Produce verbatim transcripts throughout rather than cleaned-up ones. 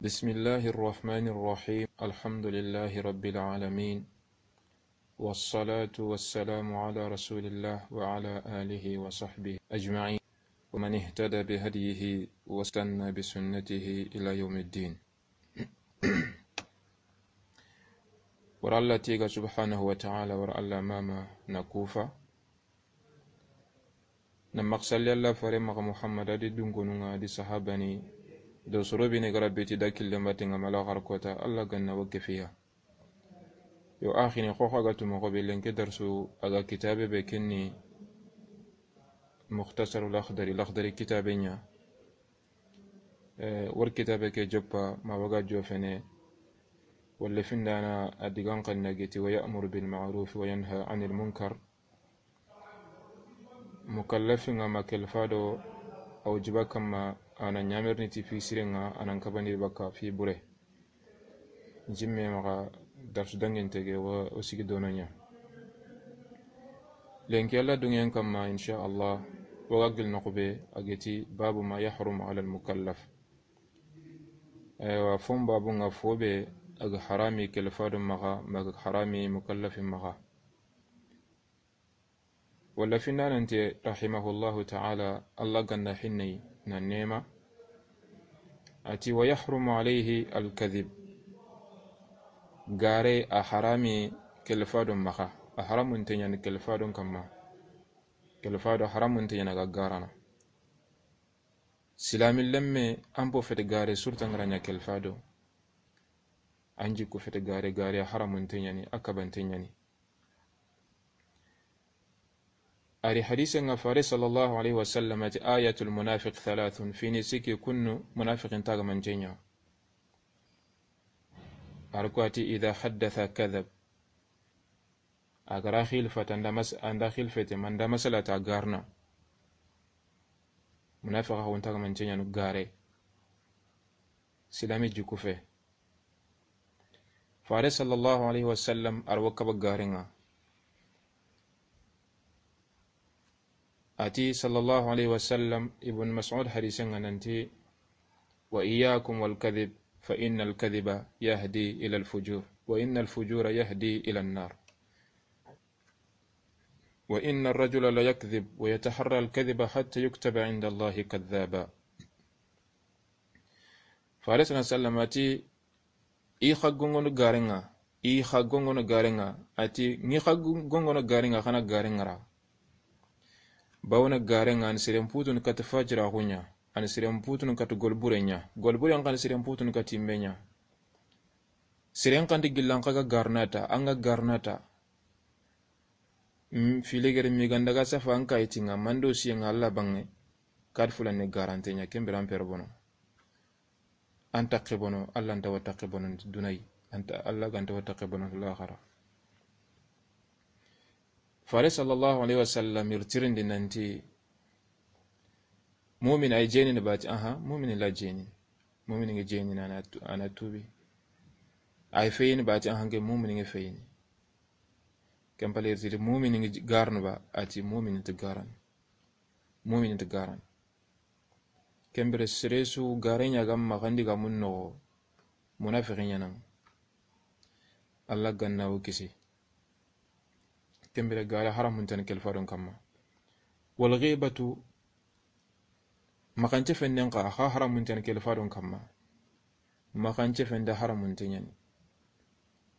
بسم الله الرحمن الرحيم. الحمد لله رب العالمين. والصلاة والسلام على رسول الله وعلى آله وصحبه أجمعين. ومن اهتدى بهديه واستنى بسنته إلى يوم الدين. Wara Alla tiga subhanahu wa ta'ala, wara Alla mama na kufa. Na maxsalli Alla fare maxa Muhammad, a di dunkonun ŋa, a di sahabani, do soro be ni ga ra beti da killen batten ŋa ma laxara kota, Alla ga na wa kefiya. Yo, axini xo xa ga tu moxo be, lenki darsu a ga kitabe be, ken ni Mukhtasarul Akhdari, Lakhdari kitabe ɲa. Eh, wor kitabe ke joppa, ma wa ga jofene, walla findana a digan xanna geti, ويأمر بالمعروف وينهى عن المنكر. Mukallafin ŋa ma kelfa do a wajiba kanma, a na ɲamerini ti fi siren ŋa, a na n kabandi baka fi bure. Jimme maxa darsu dangente ge wa o sigi dono ɲa. Lenki Alla dungen kanma, insha Allah, wa ga gil noxu be, a geti babu ma yahrumu ala al-mukallaf. Aywa, fon babu ŋa fo be a ga harami kelfa do maxa, ma a ga harami mukallafin maxa. Walla findanante, rahimahullahu ta'ala, Alla ga na hinne na nema. A ti, ويحرم عليه الكذب. Gare a harami kelfa do maxa. A haramunte ɲa ni kelfa do kanma. Kelfa do haramunte ɲa ni a ga garana. Silami lemme, an po fete gare, surta n ga ra ɲa kelfa do. An jikku fete gare, gare a haramunte ɲa ni, a kabante ɲa ni. A ri hadise ŋa, fare sallallahu alayhi wa sallam a ti, آية المنافق ثلاث, fini sikki kunnu munafiqin taga manten ɲa. A ri ko a ti, إذا حدث كذب. A ga ra xilfata, an da mas-, an da xilfete, ma an da masala ta garna. Munafiqa xo n taga manten ɲa nu gare. Silami jikku fe. Fare sallallahu alayhi wa sallam a ri wa kaba gare ŋa. A ti sallallahu alayhi wa sallam, Ibn Mas'ud hadise ŋa nanti, وإياكم والكذب فإن الكذب يهدي إلى الفجور وإن الفجور يهدي إلى النار. وإن الرجل ليكذب ويتحرى الكذب حتى يكتب عند الله كذابا. Fare sallallahu alayhi wa sallam a ti, i xa gongono gare ŋa, i xa gongono gare ŋa, a ti, ŋi xa gongono gare ŋa, xa na gare ŋa ra. Bawona gare ŋa, a ni siren putunu kati fajiraxu ɲa, a ni siren putunu kati golbure ɲa, golbure ŋa, a ni siren putunu kati yinme ɲa. Siren xa nti gillan xa ga garnata, an ga garnata. Mm, filegere mi ga n daga safa an kayitin ŋa, ma n do siyen ŋa Alla banŋe, kati fulan ni garante ɲa, ken bire an pere bono. An taxe bono, Alla nta wa taxe bono dunayi, an ta, Alla ga nta wa taxe bono laxara. Fare sallallahu alayhi wa sallam i ri tirindi nanti, mumin ay jenini bati, aha, mumin la jenini. Mumin ngi jenini, a na tu-, a na tubi. Ay feyini bati, aha, nke mumin ngi feyini. Ken pale i ri tiri mumin ngi garnu ba, a ti mumin nti garan. Mumin nti garan. Ken bire sere su gare ɲa ga maxa ndi ga mun noxo, munafiqi ɲa na. Alla ga na wo kisi. Ken bire gare haramunten kelfa do kanma. Wal ghibatu, maxance fenden xa, xa haramunten kelfa do kanma. Maxance fende haramunte ɲa ni.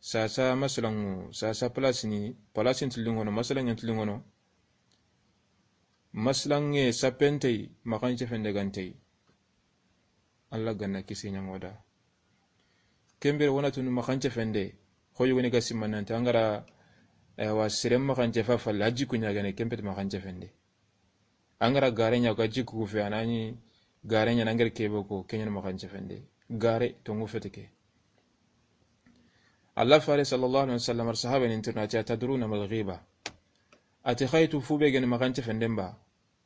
Sasa masalanŋu, sasa place ni, place nti linŋono, masalanŋe nti linŋono. Masalanŋe sapentey, maxance fende gantey. Alla ga na kisi ɲa ŋa o da. Ken bire wo na tunu maxance fende, xo yogoni ga simma nanti, an ga ra, aywa, siren maxance fa falle, a jikku ɲa gane, ken peti maxance fende. An ga ra gare ɲa ga jikku fe, a na ɲi gare ɲa na an ga ra kebe ko, ken ɲa ni maxance fende. Gare, tongu fete ke. Alla fare sallallahu alayhi wa sallam, ar sahaba nin tirna, a ti, أتدرون ما الغيبة؟ A ti, xa i tu fu be ga ni maxance fenden ba?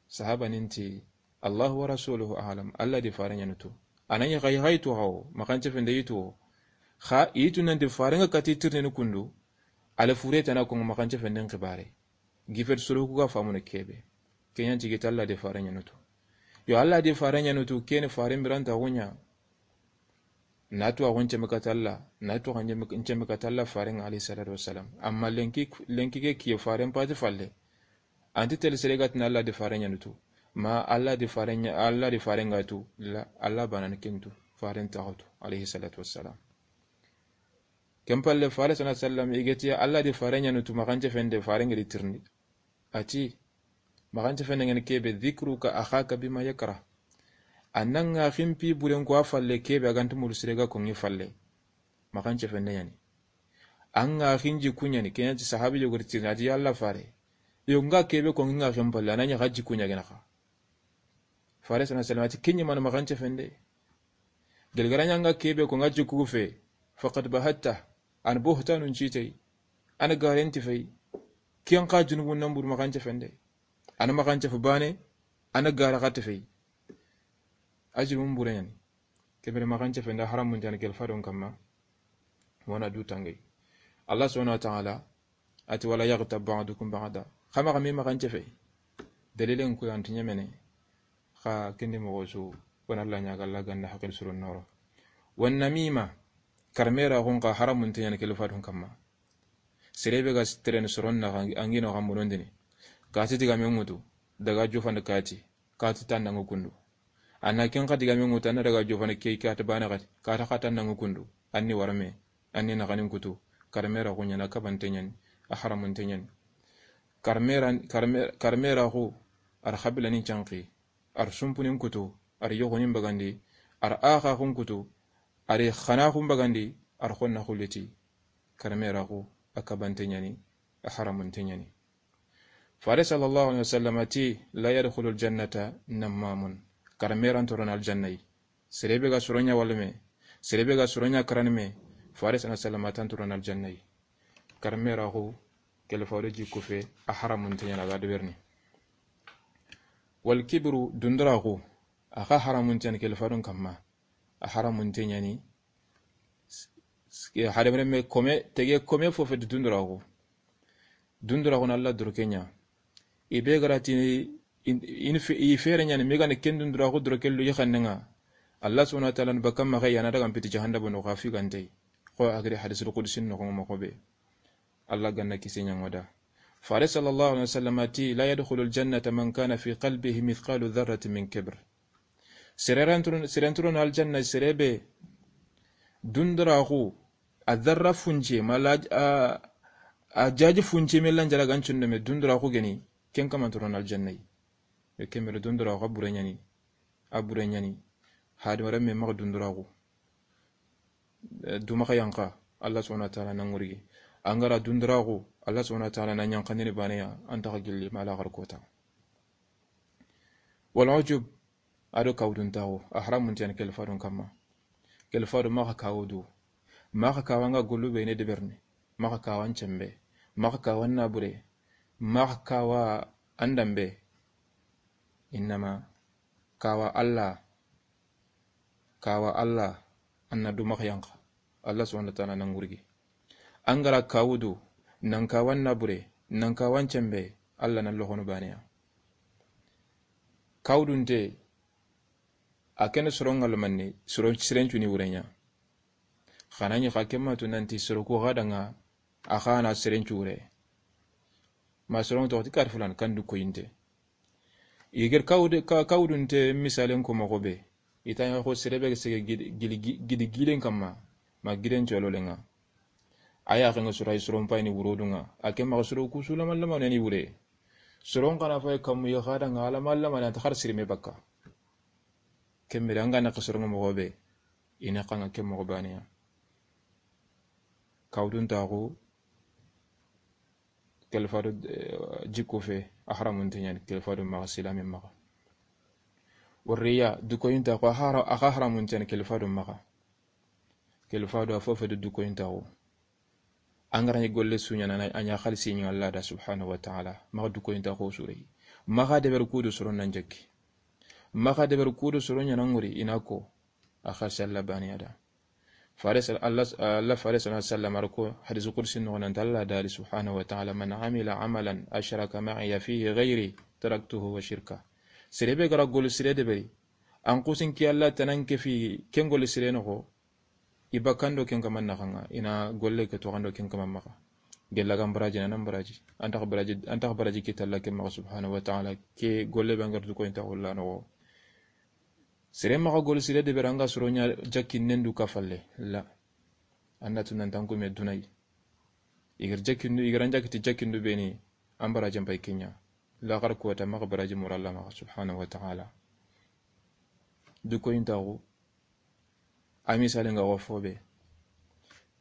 Sahaba nin ti, الله ورسوله أعلم, Alla di fare ɲa ni tu. A na ɲi xa i tu xa wo, maxance fende i tu wo. Xa i tu nanti fare ŋa kati tirni ni kundu, ale fure tana ko maxance fenden xibare. Gifet soro ku ga famunu kebe. Ken ɲa nti gita Alla di fare ɲa ni tu. Yo Alla di fare ɲa ni tu, ken fare miranta wo ɲa. Na tuwaaxu nceme kata Alla, na tuwaaxu nceme kata Alla faaren ŋa, alayhi salatu wassalam. Amma lenki, lenki ke kiye faaren pati falle. Anti tel sere ga tini Alla di faaren ɲaana tu. Ma Alla di faaren ɲa-, Alla di faaren ga tu, la, Alla baane ni ken tu, faaren taaxu tu, alayhi salatu wassalam. Ken palle faare sallallahu alayhi wasallam i ga ti Alla di faaren ɲaana tu, maxancefende faaren ga ri tirindi. A ti, maxancefende ŋa ni kebe, dhikruka akhaka bima yakrah. A na ŋa ximpi buren ko a falle kebe a ga nta mulu sire ga ko ŋi falle. Maxancefende ɲa ni. A ŋa xinji kuɲa ni, ken ɲa ti sahabi yogo ri tirindi, a ti, ya Alla faare. Yo ŋa kebe ko ŋi ŋa ximpalle, a na ɲa xaji kuɲa gena xa. Faare sallallahu alayhi wasallam a ti, ken ɲi mana maxancefende. Gelgara ɲa ŋa kebe ko ŋa jikku fe, faqad bahatta, an buhtanun citey, an garenti fey, ken xa junubun nan buru maxancefende. An maxancefe baane, an gara xate fey. A junubun bure ɲa ni. Kebere maxancefende a haramunte ɲa ni kelfadon kamma. Wona du tangey. Allah subhanahu wa ta'ala, a ti, "Wala yaghtab ba'dukum ba'da." Xa maxa me maxancefe. Dalilen ku yan ti ɲemene. Xa kendi moxo su, wona Allah ɲa ga Allah ganda haqqil surun noro. Wan namima, karmera xun xa haramunte ɲa ni kelfadun kamma. Serebe ga tereni soron na xa, an gino xa munondini. Kati digame ŋutu, daga jofandi kati, kati tandangu kundu. A na ken xa digame ŋutu, a na daga jofandi ke kati baane xati, kati xa tandangu kundu. An ni warame, an ni naxanin kutu, karmera xu ɲa ni a kabante ɲa ni, a haramunte ɲa ni. Karmera, karme-, karmera xu, ar xabilani canqi, ar sumpunin kutu, ar yoxonin bagandi, ar axaxun kutu, ar xanaxun bagandi, ar xonna xuliti. Karmera xu, a kabante ɲa ni, a haramunte ɲa ni. Faare sallallahu alayhi wasallam a ti, "La yadkhulul jannata nammamun." Karmeran toron aljannayi. Serebe ga soronya walme, serebe ga soronya karanme, Faare sallallahu alayhi wasallam a tan toron aljannayi. Karmera xu, kelfado jikku fe, a haramunte ɲa ni a ga deberni. Wal kibru, dundura xu, a xa haramunte ɲa ni kelfadon kamma. A haramunte ɲa ni. Hadamaren me kome, tege kome fo fe dundura xu. Dundura xu na Allah doroke ɲa. I be ga ra ti in, in fe-, i fere ɲa ni, me ga ni ken dundura xu doroke lu yi xanne ŋa. Allah subhanahu wa ta'ala ni bakka maxa ya na daga n piti jahannaba no xa fi gantey. Xo a giri hadisul qudsi noxo moxo be. Allah ganna kise ɲa ŋoda. Faare sallallahu alayhi wasallam a ti, "La yadkhulul jannata man kana fi qalbihi mithqalu dharratin min kibr." Seren toron, seren toron aljanna serebe dundura xu, a dharra funce, ma la, a, a jaji funce me lanjara gancun me dundura xu geni, ken kaman toron aljannayi. Yo kemere dundura xu a bure ɲa ni, a bure ɲa ni, hadamaren me maxa dundura xu. Eh, dumaxa yanqa, Allah subhanahu wa ta'ala na ŋurigi. An ga ra dundura xu, Allah subhanahu wa ta'ala na ɲanqandini baane ya, an taxa gilli ma laxar kota. Wal ujub, a do kawuduntaxu, a haramunte ɲa ni kelfadon kamma. Kelfado maxa kawudu, maxa kawa ŋa gollu be ne deberni, maxa kawa n cembe, maxa kawa n nabure, maxa kawa an dambe. Innama kawa Allah, kawa Allah, an na du maxa yanqa. Allah subhanahu wa ta'ala na ŋurigi. An ga ra kawudu, nan kawa n nabure, nan kawa n cembe, Allah na loxonu baane ya. Kawudunte, a ken soron ŋa lamanne, soro sirencuni wure ɲa. Xa na ɲi xa kemma tu nanti soro ku xa da ŋa, a xa na sirencu wure. Ma soron toxo ti kar fulan kan du koyinte. I ga ri kawude-, ka-, kawudunte misalen ko moxo be. I ta ɲa xo serebe sege gidi, gidi, gidi gilen kamma. Ma giden cololen ŋa. A ya xa ŋa soro ay soron payini wurodun ŋa. A ke maxa soro ku su lama lama ni wure. Soron xa na fay kammu ya xa da ŋa lama lama na ta xar sirime bakka. Kemere an ga na xa soron ŋa moxo be. I na xa ŋa ke moxo baane ya. Kawuduntaxu. Kelfado, eh, jikku fe, a haramunte ɲa ni, kelfado maxa, silami maxa. Warriya, dukoyintaxu, a hara-, a xa haramunte ɲa ni, kelfado maxa. Kelfado a fo fe du dukoyintaxu. An ga ra ɲi golle su ɲa na, a ɲa xalisi ɲi Allah da subhanahu wa ta'ala. Maxa dukoyintaxu surey. Maxa deber kudu soron nan jekki. Maxa deber kudu soron ɲa na ŋuri i na ko. A xalisi Allah baane ya da. Faare sal-, Allah, Allah faare sallallahu alayhi wasallam a ri ko hadisi qudsi noxo nan ti Allah da a ri subhanahu wa ta'ala, "Man amila amalan ashraka ma'iya fihi ghayri taraktuhu wa shirka." Serebe ga ra gollu sire deberi, an xusin ki Allah tanan ke fi ken gollu sire noxo, I bakando ken kama naxanga, i na golle ke toxando ken kama maxa. Gella ga n baraji na, na n baraji. An taxa baraji, an taxa baraji kita Alla ke maxa subhanahu wa ta'ala, ke golle be an ga ra du koyin taaxu la noxo. Sere maxa gol sire de beranga soro ɲa jakkinnen du ka falle. La. An na tu nan tanku me dunay. I ga ra jakkindu, i ga ra n jakkiti jakkindu be ni, an baraji n pay ke ɲa. Laxara kota maxa baraji mura Alla maxa subhanahu wa ta'ala. Du koyin taaxu. A misalen ga xo fo be.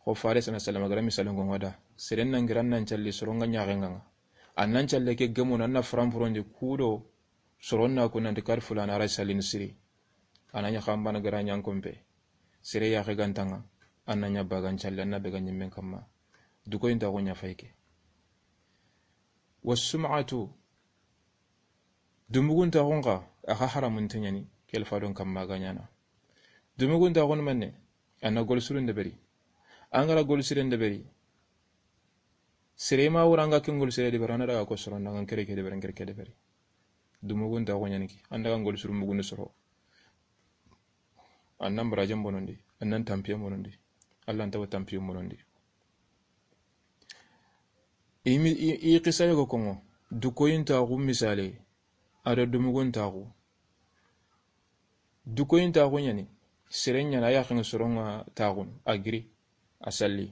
Xo Faare sallallahu alayhi wasallam a ga ra misalen ŋo ŋa da. Seren na n giri nan calli soron ŋa ɲaxen ŋa. An nan calle ke gemu na, an na farampurondi kudo soron na ku nanti kar fulana ra sallini siri. A na ɲa xanbana ga ra ɲa n konpe. Sere yaxe ga nta ŋa. An na ɲa bagan calle, an na be ga ɲimmen kamma. Du koyin taaxu ɲa fay ke. Wasum'atu. Dumugun taaxun xa, a xa haramun te ɲaani, ke Alla faadon kamma ga ɲaana. Dumugun taaxun manne, an na gol sirun deberi. An ga ra gol siren deberi. Sere ma wura an ga ken gol sire deberi, an na daga ko soron da ŋa n kere ke deberi, n kere ke deberi. Dumugun taaxu ɲaani ke, an daga gol sirun bugundu soro. An nan barajen bonondi, an nan tampiyen bonondi. Alla nta wa tampiyen bonondi. I mi-, i, i xisa yogo kongo, du koyin taaxu misale, a do dumugun taaxu. Du koyin taaxu ɲaani, sere ɲaana a yaxen soron ŋa taaxun, a giri, a salli.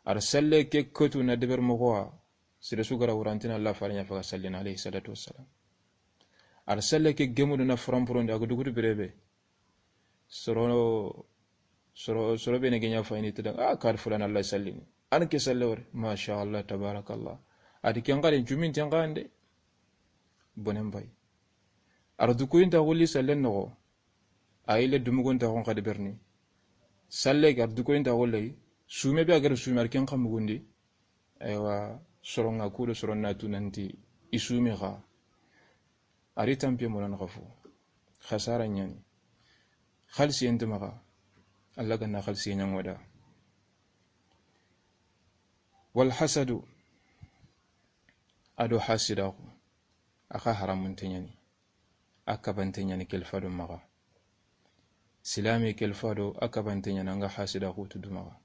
A ra salle ke kotu na deber moxo wa, sere su ga ra wurantina Alla Faare ɲa faga sallina, alayhi salatu wassalam. A ra salle ke gemudu na farampurondi, a ga dugudu berebe. Soro, soro, soro be ne ge ɲa fayini ti da, a, kar fulana Alla sallini. An ke salle wori, masha Allah, tabarakallah. A di ken xarin jumin ten xande. Bonen bay. A ra du koyin taaxu li sallen noxo. A yille dumugun taaxun xa deberini. Salle ga ra du koyin taaxu lay. Sume be a ga ra sume a ra ken xa mugundi. Aywa, soron ŋa kudo soron na tu nanti i sumi xa. A ri tampiye monan xa fo. Xasara ɲaani. Xalisiyen ti maxa. Alla ga na xalisiye ɲa ŋo da. Wal hasadu. A do hasidaxu. A xa haramun te ɲaani. A kabante ɲaani ke Alla faado maxa. Silami ke Alla faado a kabante ɲaani an ga hasidaxu tu du maxa.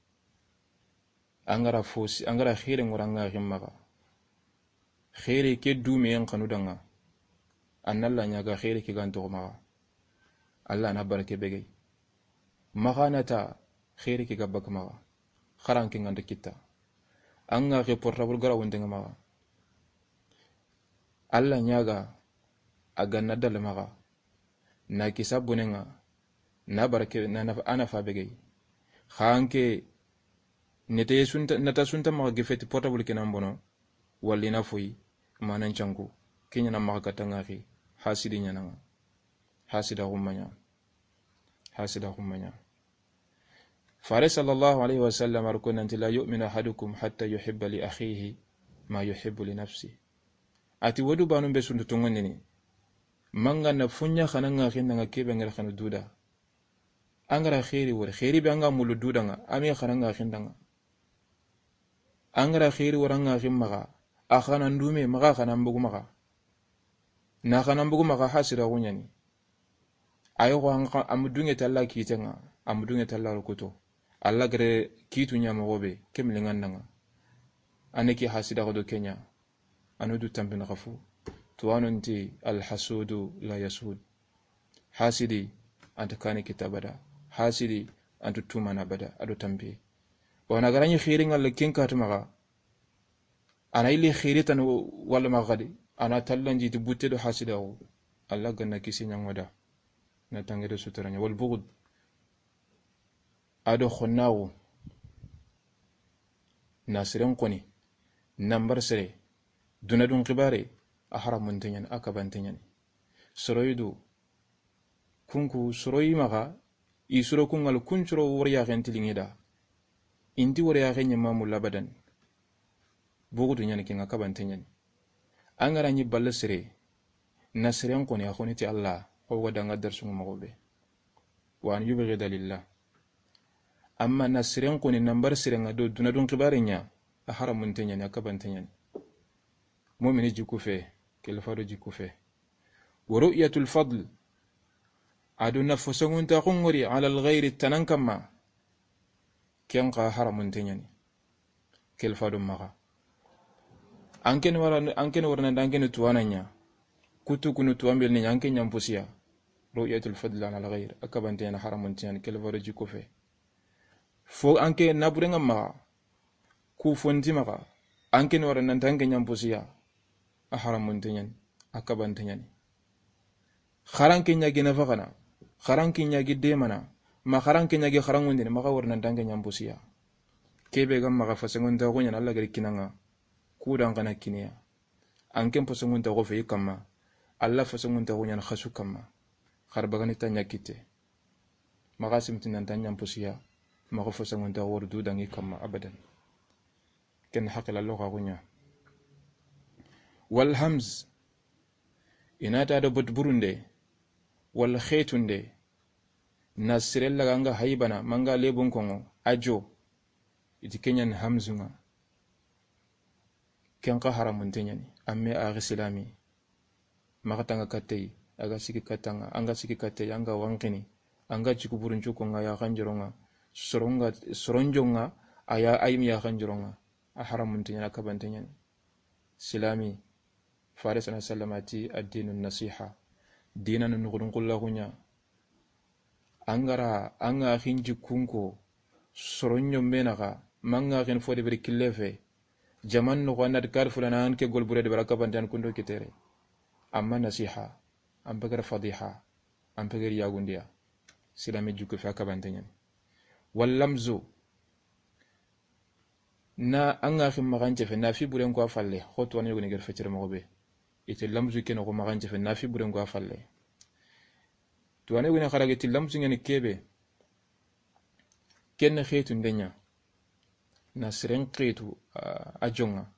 An ga ra fosi, an ga ra xeeri ŋo ra an ga xi maxa. Xeeri ke dume yan xanu da ŋa. An na Alla ɲaaga xeeri ke ga nto maxa. Alla na barake begey. Maxa na ta xeeri ke ga baka maxa. Xaran ke ŋa nta kita. An ga xi portable ga ra wonte ŋa maxa. Alla ɲaaga a ga na dalla maxa. Na kisa bonen ŋa, na barake, na, na, a na fa begey. Xa an ke, nete sunta, nata sunta maxa gefeti portable ke nan bono, walla i na foyi, manan canku, ke ɲaana maxa kata ŋa xi, hasidi ɲaana ŋa. Hasidaxu ma ɲa. Hasidaxu ma ɲa. Faare sallallahu alayhi wa sallam a ri ko nanti, "La yu'minu ahadukum hatta yuhibba li akhihi ma yuhibbu li nafsi." A ti, "Wo du baanun be su nta tonŋundini. Manga na fo ɲa xana ŋa xinda ŋa ke be ŋa ra xanu du da. An ga ra xeeri wori, xeeri be an ga mulu du da ŋa, a me xana ŋa xinda ŋa. An ga ra xeeri wori an ga xi maxa, a xana ndume, maxa xana mbugu maxa. Na xana mbugu maxa hasidaxu ɲaani." A yogo an xa, a mu dunŋe ti Alla kite ŋa, a mu dunŋe ti Alla rukuto. Alla gere kitu ɲa moxo be, ke mili ŋa nda ŋa. A ne ke hasidaxu do ke ɲa, a nu du tampini xa fu. Tuwaano nti, "Alhasudu la yasud." Hasidi, a nta kani kita bada. Hasidi, a nta tumana bada, a do tampi. Wa na ga ra ɲi xeeri ŋa le ken katu maxa. A na yille xeeri tanu walla maxa xadi. A na tallanji ti butte do hasidaxu. Alla ga na kisi ɲa ŋo da. Na tanŋe do sutura ɲa. Wal bughd. A do xonnaxu. Na siren xoni. Nambar sere. Duna dun xibaare. A haramun te ɲaani, a kabante ɲaani. Soroyi du. Kunku soroyi maxa, i soro kun ŋa la kun soro wori yaxen ti liŋe da. I nti wori yaxe ɲa ma mulu abadan. Bugudu ɲaani ke ŋa, kabante ɲaani. An ga ra ɲi balla sere, na seren xoni a xoni ti Alla, xo ga da ŋa darsu ŋa moxo be. Wa an yubghida lillah. Amma na seren xoni nambar sere ŋa do duna dun xibaare ɲa, a haramun te ɲaani, a kabante ɲaani. Mumini jikku fe, ke Alla faado jikku fe. Wa ru'yatul fadl. A do na fo songunta xungori ala al-ghayri tanan kamma. Ken xa haramunte ɲa ni. Kelfa do maxa. An ken wara, an ken warna da an ken tuwana ɲa. Kutu kunu tuwambel ni an ken ɲampusiya. Ru'yatul fadl ala al-ghayr. A kabante ɲa ni, haramunte ɲa ni, kelfa do jikko fe. Fo an ke naburenga maxa, ku fonti maxa, an ke ni wara nan tanke ɲampusiya, a haramunte ɲa ni, a kabante ɲa ni. Xaranke ɲagi nafaxana, xaranke ɲagi demana, ma xaranke ɲagi xarangundini, maxa wara nan tanke ɲampusiya. Kebe ga maxa fasengontaxu ɲa ni, Alla gari kinanga, kudan xana kiniya. An ken fasengontaxu fe i kamma, Alla fasengontaxu ɲa ni xasu kamma. Xar bagani ta ɲa kitte. Maxa simti nan ta ɲampusiya, maxa fosangunta wor du dangi kamma abadan. Ken haqila lo xa gunya. Wal hamz, inata do bot burunde, wal khetunde, na sirella ganga haybana, manga lebun kongo, ajo, iti kenyan hamzunga. Ken xa haramunte ɲa ni, amme axi silami. Maxa tanga kattey, a ga sigi kattanga, an ga sigi kattey, an ga wankini, an ga jiku buruncu konga ya xanjoronga, soronga, soronjonga, a ya ayim ya xanjoronga, a haramunte ɲa ni, a kabante ɲa ni. Silami, Faris alayhi salam a ti, "Ad-dinu nasiha." Dina nu nuxudun xullaxu ɲa. An ga ra, an ga xin jikkun ko, soron ɲombe naxa, manga xin fo de beri kille fe. Jaman noxo an na ti kar fulana an ke gol bure de bara kabantan kundo kitere. Amma nasiha, an pegere fadiha, an pegere yagundiya. Silami jikko fe a kabante ɲa ni. Wal lamzu, na an ga xin maxan cefe, na fi buren ko a falle, xo tuwana yogoni ger fecere moxo be. Ite lamzu ke noxo maxan cefe, na fi buren ko a falle. Tuwana yogoni xara geti lamzu ɲa ni kebe. Ken xetu nde ɲa. Na siren xetu, a, a jonga.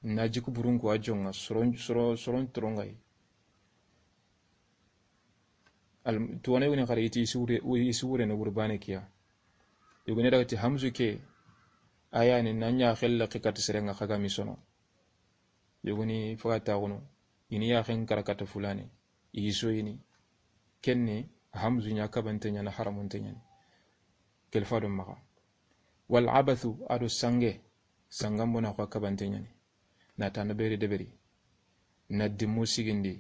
Na jiku burun ko a jonga. Soron, soron, soron torongay. Al, tuwana yogoni xara iti isure, isure no gurbane kiya. Yogoni daga ti hamzu ke, aya ni na ɲa xelle xikati sirenga xaga mi sono. Yogoni faga taxunu, ini ya xen karakata fulane, iso ini. Kenne, hamzu ɲa kabante ɲa ni, haramunte ɲa ni. Kelfa do maxa. Wal abathu, a do sange, sangan bona xo a kabante ɲa ni. Na tana beri deberi. Na dimmu sigindi.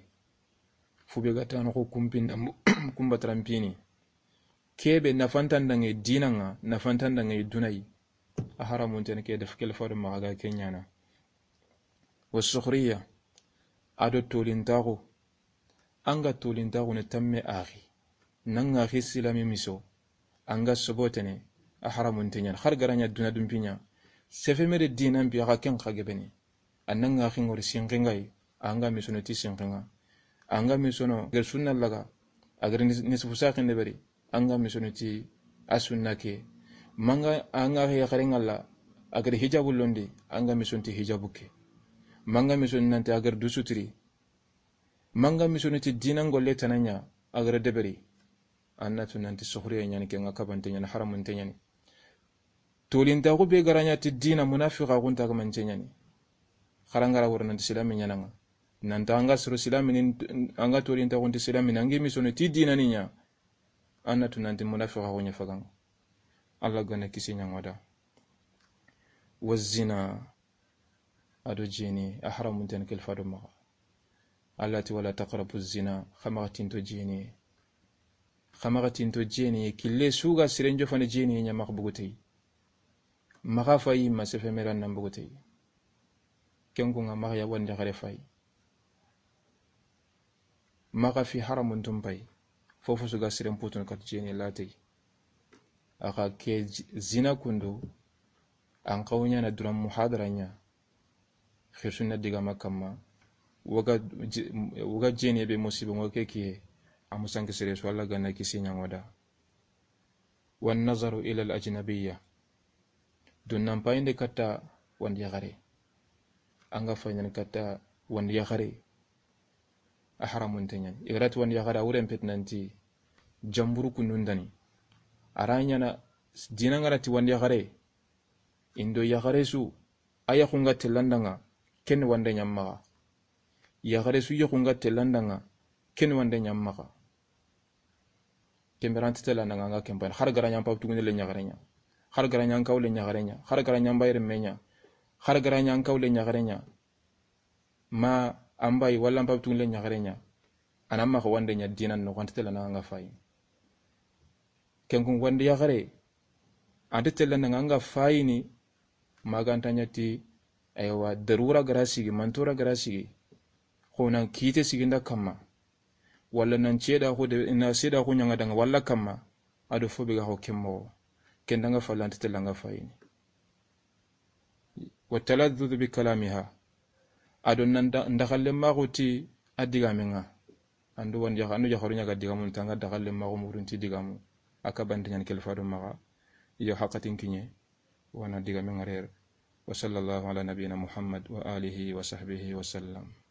Fube ga tana xo kumpinda, kumba trampini. Kebe nafantan dange dinanga, nafantan dange dunayi. A haramunte ɲa ni ke def kelfa do maxa ga ke ɲa na. Wa sukhriya, a do tolintaxu. An ga tolintaxu ne tamme axi. Nanga axi silami miso. An ga sobotene, a haramunte ɲa ni. Xar garaɲa duna dumpiɲa. Sefe mere dinan pi axa ken xa gebene. An nanga axi ngori sinxingayi. An ga misono ti sinxinga. An ga misono ger sunna laga. A ger nis-, nisfu saqin de beri. An ga misono ti a sunna ke. Manga an ga axi yaxare ngalla. A ger hijabu londi. An ga misono ti hijabu ke. Manga misono nanti a ger du sutiri. Manga misono ti dinan golle tana ɲa, a gere deberi. An na tu nanti suxuriye ɲa ni, ke nga kabante ɲa ni, haramunte ɲa ni. Tolintaxu be garaɲa ti dina, munafiqaxu nta kamance ɲa ni. Xarangara woro nanti silami ɲananga. Nanta an ga soro silami ni, an ga tolintaxu nti silami ni, an gi misono ti dina ni ɲa. An na tu nanti munafiqaxu ɲa faganga. Alla gana kisi ɲangoda. Wa zina, a do jeni, a haramunten kelfa do maxa. Alla ti, "Wala taqrabu zina," xa maxa tinto jeni. Xa maxa tinto jeni, kille su ga siren jofana jeni ɲa maxa bugutey. Maxa fayi ma sefe meran nan bugutey. Ken kunga maxa ya wandi xare fayi. Maxa fi haramuntun pay. Fofo su ga siren putun kat jeni latey. Axa ke zi-, zina kundu, an xaw ɲana duran muhadara ɲa. Xirsunna digama kamma. Waga je-, waga jeni be musiba ngo ke kiye. A musanke sere su Alla gana kisi ɲangoda. Wan nazaru ila al ajnabiyya. Dunnan payinde katta wandi yaxare. An ga fayindini katta wandi yaxare. A haramunte ɲa ni. I ga ra ti wandi yaxare, a wuren peti nanti jamburu kundundani. A ra ɲana dina nga ra ti wandi yaxare. Indo yaxare su, a yaxunga tellandanga, ken wande ɲa maxa. Yaxare su yaxunga tellandanga, ken wande ɲa maxa. Kemberanti tellandanga nga kempan. Xar garaɲa pap tugune le ɲaxare ɲa. Xar gara ɲa an kawle ɲaxare ɲa, xar gara ɲa an bayi renme ɲa, xar gara ɲa an kawle ɲaxare ɲa, ma an bayi walla an pabe tugunle ɲaxare ɲa, a na maxa wande ɲa dinan noxo, an ti tellana ŋa fayini. Ken kun wandi yaxare, an ti tellana ŋa fayini. Maganta ɲa ti, aywa, darura gara sigi, mantora gara sigi, xo nan kite sigi nda kamma, walla nan ceda xo de, na seda xo ɲanga danga walla kamma, a do fo be ga xo ken moxo, ken danga falla an ti tellanga fayini. Wa taladdudu bi kalamiha. A do nan da, ndaxalle maxu ti a digame ŋa. An do wandi yaxa-, an do yaxaru ɲaga digamu tanga daxalle maxu murunti digamu. A ka bante ɲani kelfa do maxa. Iyo, haqatin kiɲe. Wana digame ŋa rer. Wa sallallahu ala nabiyina Muhammad wa alihi wa sahbihi wa sallam.